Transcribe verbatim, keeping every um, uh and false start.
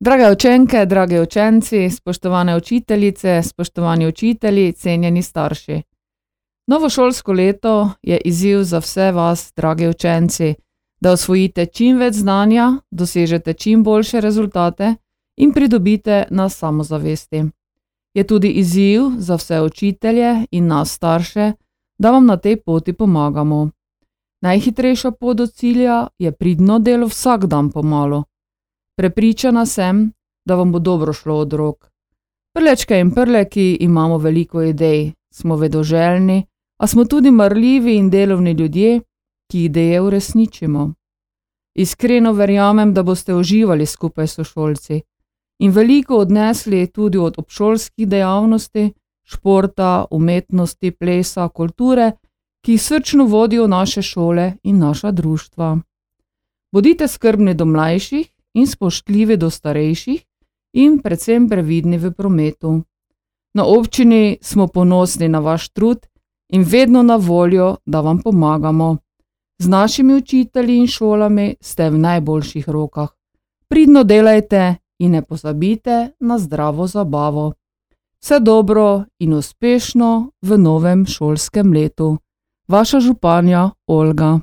Drage učenke, dragi učenci, spoštovane učiteljice, spoštovani učitelji, cenjeni starši. Novo šolsko leto je izziv za vse vas, dragi učenci, da osvojite čim več znanja, dosežete čim boljše rezultate in pridobite na samozavesti. Je tudi izziv za vse učitelje in nas starše, da vam na tej poti pomagamo. Najhitrejša pot do cilja je pridno delo vsak dan pomalu. Prepričana sem, da vam bo dobro šlo od rok. Prlečke in prleki imamo veliko idej, smo vedoželjni, a smo tudi marljivi in delovni ljudje, ki ideje uresničimo. Iskreno verjamem, da boste uživali skupaj s sošolci in veliko odnesli tudi od obšolskih dejavnosti, športa, umetnosti, plesa, kulture, ki jih srčno vodijo naše šole in naša društva. Bodite skrbni do mlajših in spoštljivi do starejših in predvsem previdni v prometu. Na občini smo ponosni na vaš trud in vedno na voljo, da vam pomagamo. Z našimi učitelji in šolami ste v najboljših rokah. Pridno delajte in ne pozabite na zdravo zabavo. Vse dobro in uspešno v novem šolskem letu. Vaša županja Olga.